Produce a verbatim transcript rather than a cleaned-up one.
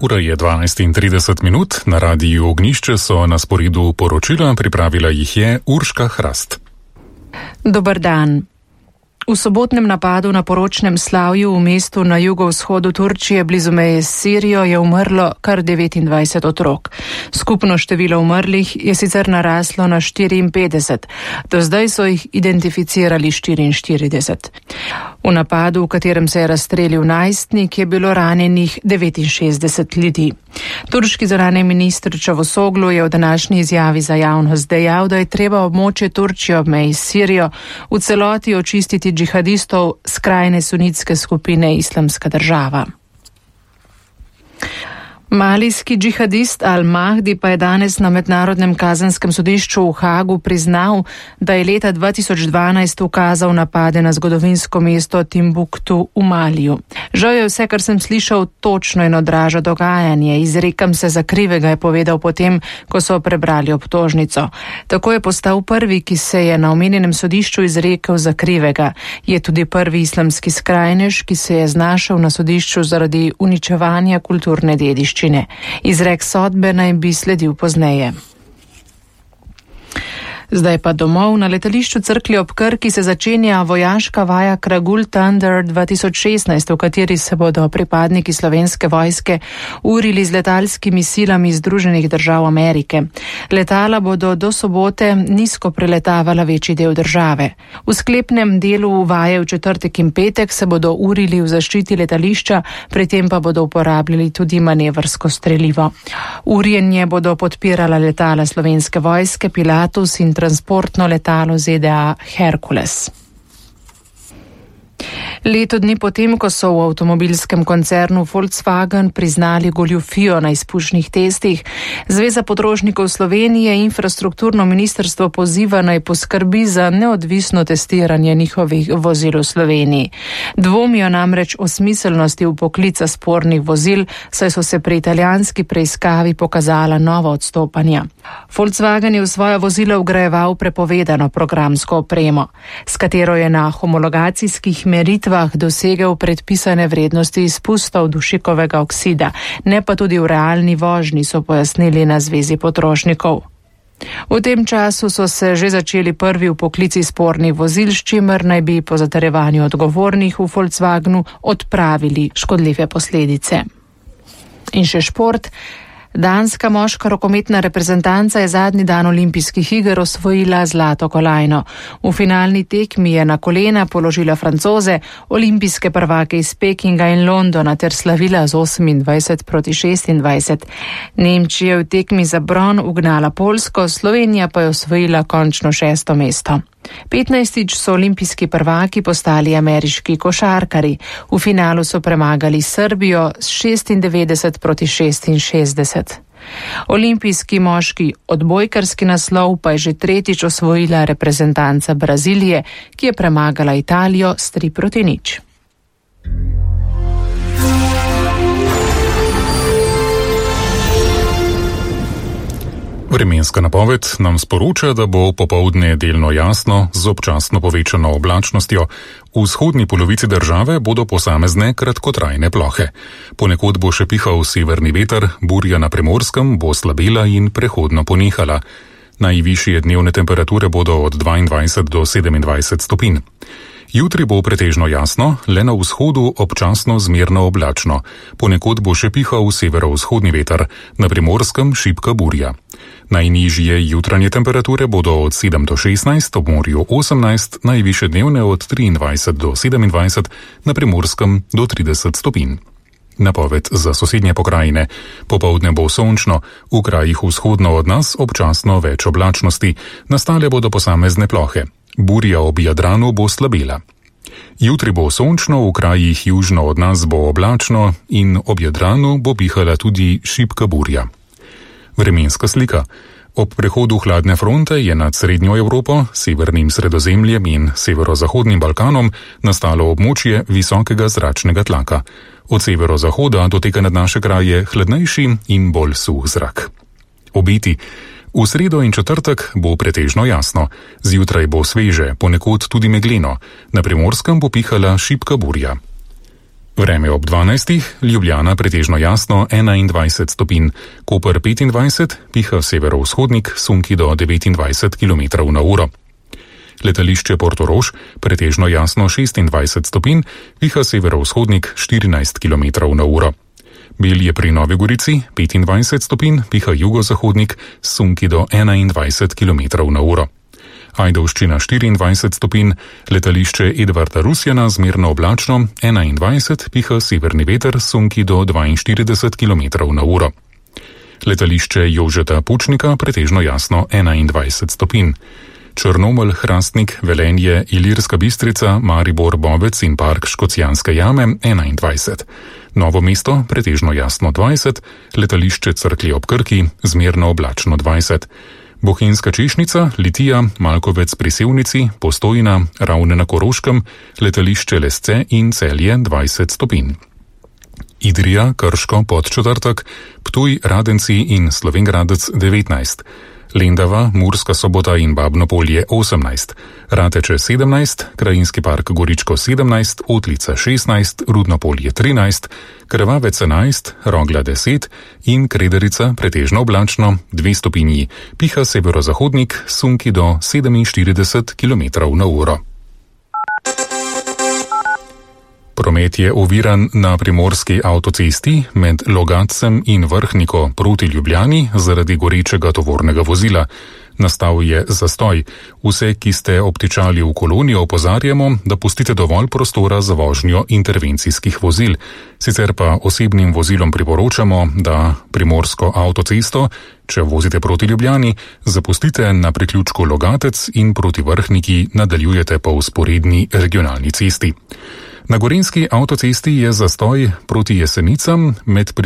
Ura je dvanajst in trideset minut, na radiju Ognjišče so na sporedu poročila, pripravila jih je Urška Hrast. Dober dan. V sobotnem napadu na poročnem slavju v mestu na jugovzhodu Turčije blizu meje s Sirijo je umrlo kar devetindvajset otrok. Skupno število umrlih je sicer naraslo na štiriinpetdeset, do zdaj so jih identificirali štiriinštirideset. V napadu, v katerem se je razstrelil najstnik, je bilo ranjenih devetinšestdeset ljudi. Turški zunanji minister Čavusoglu je v današnji izjavi za javnost dejal, da je treba območje Turčije ob meji s Sirijo v celoti očistiti džihadistov skrajne sunitske skupine Islamska država. Malijski džihadist Al-Mahdi pa je danes na Mednarodnem kazenskem sodišču v Hagu priznal, da je leta dva tisoč dvanajst ukazal napade na zgodovinsko mesto Timbuktu v Maliju. Žal je vse, kar sem slišal, točno in odraža dogajanje. Izrekam se za krivega, je povedal potem, ko so prebrali obtožnico. Tako je postal prvi, ki se je na omenjenem sodišču izrekel za krivega. Je tudi prvi islamski skrajnež, ki se je znašel na sodišču zaradi uničevanja kulturne dediščine. Izrek sodbe naj bi sledil pozneje. Zdaj pa domov. Na letališču Cerklje ob Krki se začenja vojaška vaja Kragul Thunder dva tisoč šestnajst, v kateri se bodo pripadniki Slovenske vojske urili z letalskimi silami Združenih držav Amerike. Letala bodo do sobote nizko preletavala večji del države. V sklepnem delu vaje v četrtek in petek se bodo urili v zaščiti letališča, pri tem pa bodo uporabljali tudi manevrsko strelivo. Urjenje bodo podpirala letala Slovenske vojske, Pilatus in transportno letalo Z D A Hercules. Leto dni potem, ko so v avtomobilskem koncernu Volkswagen priznali goljufijo na izpušnih testih, Zveza potrošnikov Slovenije infrastrukturno ministrstvo poziva naj poskrbi za neodvisno testiranje njihovih vozil v Sloveniji. Dvomijo namreč o smiselnosti vpoklica spornih vozil, saj so se pri italijanski preiskavi pokazala nova odstopanja. Volkswagen je v svoja vozila vgrajeval prepovedano programsko opremo, s katero je na homologacijskih meritvah dosegel predpisane vrednosti izpustov dušikovega oksida, ne pa tudi v realni vožnji, so pojasnili na Zvezi potrošnikov. V tem času so se že začeli prvi vpoklici spornih vozil, s čimer naj bi po zatrjevanju odgovornih v Volkswagenu odpravili škodljive posledice. In še šport. Danska moška rokometna reprezentanca je zadnji dan olimpijskih iger osvojila zlato kolajno. V finalni tekmi je na kolena položila Francoze, olimpijske prvake iz Pekinga in Londona ter slavila z osemindvajset proti šestindvajset. Nemčija je v tekmi za bron ugnala Poljsko, Slovenija pa je osvojila končno šesto mesto. petnajstič so olimpijski prvaki postali ameriški košarkari. V finalu so premagali Srbijo s šestindevetdeset proti šestinšestdeset. Olimpijski moški odbojkarski naslov pa je že tretjič osvojila reprezentanca Brazilije, ki je premagala Italijo s tri proti nič. Vremenska napoved nam sporoča, da bo popoldne delno jasno z občasno povečano oblačnostjo. V vzhodni polovici države bodo posamezne kratkotrajne plohe. Ponekod bo še pihal severni veter, burja na Primorskem bo slabela in prehodno ponehala. Najvišje dnevne temperature bodo od dvaindvajset do sedemindvajset stopinj. Jutri bo pretežno jasno, le na vzhodu občasno zmerno oblačno. Ponekod bo še pihal severovzhodni veter, na Primorskem šibka burja. Najnižje jutranje temperature bodo od sedem do šestnajst, ob morju osemnajst, najvišje dnevne od triindvajset do sedemindvajset, na Primorskem do trideset stopinj. Napoved za sosednje pokrajine. Popoldne bo sončno, v krajih vzhodno od nas občasno več oblačnosti, nastale bodo posamezne plohe. Burja ob Jadranu bo slabela. Jutri bo sončno, v krajih južno od nas bo oblačno in ob Jadranu bo pihala tudi šibka burja. Vremenska slika. Ob prehodu hladne fronte je nad Srednjo Evropo, severnim Sredozemljem in severozahodnim Balkanom nastalo območje visokega zračnega tlaka. Od severozahoda doteka nad naše kraje hladnejši in bolj suh zrak. Obeti. V sredo in četrtek bo pretežno jasno, zjutraj bo sveže, ponekod tudi megleno, na Primorskem bo pihala šibka burja. Vreme ob dvanajstih, Ljubljana pretežno jasno enaindvajset stopinj, Koper petindvajset, piha severovzhodnik, sunki do devetindvajset kilometrov na uro. Letališče Portorož, pretežno jasno šestindvajset stopinj, piha severovzhodnik štirinajst kilometrov na uro. Belje pri Novi Gorici, petindvajset stopinj, piha jugozahodnik, sunki do enaindvajset kilometrov na uro. Ajdovščina štiriindvajset stopinj, letališče Edvarda Rusjana zmerno oblačno, enaindvajset, piha severni veter, sunki do dvainštirideset kilometrov na uro. Letališče Jožeta Pučnika, pretežno jasno, enaindvajset stopinj. Črnomelj, Hrastnik, Velenje, Ilirska Bistrica, Maribor, Bovec in park Škocjanske jame, enaindvajset. Novo mesto, pretežno jasno, dvajset, letališče Cerklje ob Krki, zmerno oblačno, dvajset. Bohinjska Češnica, Litija, Malkovec pri Sevnici, Postojna, Ravne na Koroškem, letališče Lesce in Celje, dvajset stopinj. Idrija, Krško, Podčetrtek, Ptuj, Radenci in Slovenj Gradec, devetnajst. Lendava, Murska Sobota in Babno Polje, osemnajst. Rateče, sedemnajst, Krajinski park Goričko, sedemnajst, Otlica, šestnajst, Rudno Polje, trinajst, Krvavec, enajst, Rogla, deset in Krederica, pretežno oblačno, dve stopinji, piha severozahodnik, sunki do sedeminštirideset kilometrov na uro. Promet je oviran na primorski avtocesti med Logatcem in Vrhniko proti Ljubljani zaradi gorečega tovornega vozila. Nastal je zastoj. Vse, ki ste obtičali v koloni, opozarjamo, da pustite dovolj prostora za vožnjo intervencijskih vozil. Sicer pa osebnim vozilom priporočamo, da primorsko avtocesto, če vozite proti Ljubljani, zapustite na priključku Logatec in proti Vrhniki nadaljujete po vzporedni regionalni cesti. Na gorenjski avtocesti je zastoj proti Jesenicam med priključkom